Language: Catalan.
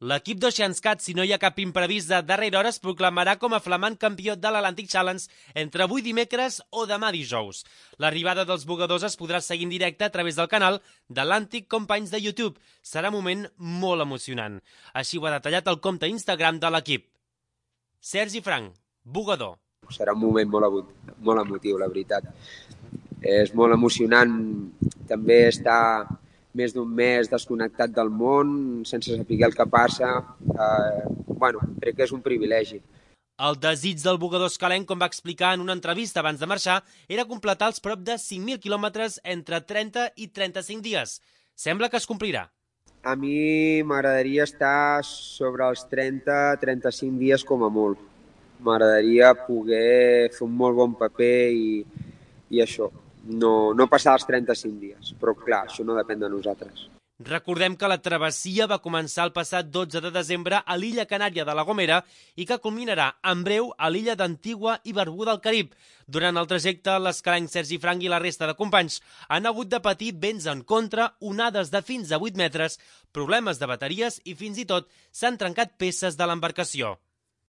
L'equip d'Oceanscat, si no hi ha cap imprevist de darrera hora, es proclamarà com a flamant campió de l'Atlantic Challenge entre avui dimecres o demà dijous. L'arribada dels bugadors es podrà seguir en directe a través del canal d'Atlantic Companys de YouTube. Serà un moment molt emocionant. Així ho ha detallat el compte Instagram de l'equip. Sergi Frank, bugador. Serà un moment molt emotiu, la veritat. És molt emocionant també estar més d'un mes desconnectat del món, sense saber el que passa. Crec que és un privilegi. El desig del bugador escalenc, com va explicar en una entrevista abans de marxar, era completar els prop de 5.000 quilòmetres entre 30 i 35 dies. Sembla que es complirà. A mi m'agradaria estar sobre els 30-35 dies com a molt. M'agradaria poder fer un molt bon paper i això. No passar els 35 dies, però clar, això no depèn de nosaltres. Recordem que la travessia va començar el passat 12 de desembre a l'illa canària de La Gomera i que culminarà en breu a l'illa d'Antigua i Barbuda al Carib. Durant el trajecte, l'escalenc Sergi Frank i la resta de companys han hagut de patir vents en contra, onades de fins a 8 metres, problemes de bateries i fins i tot s'han trencat peces de l'embarcació.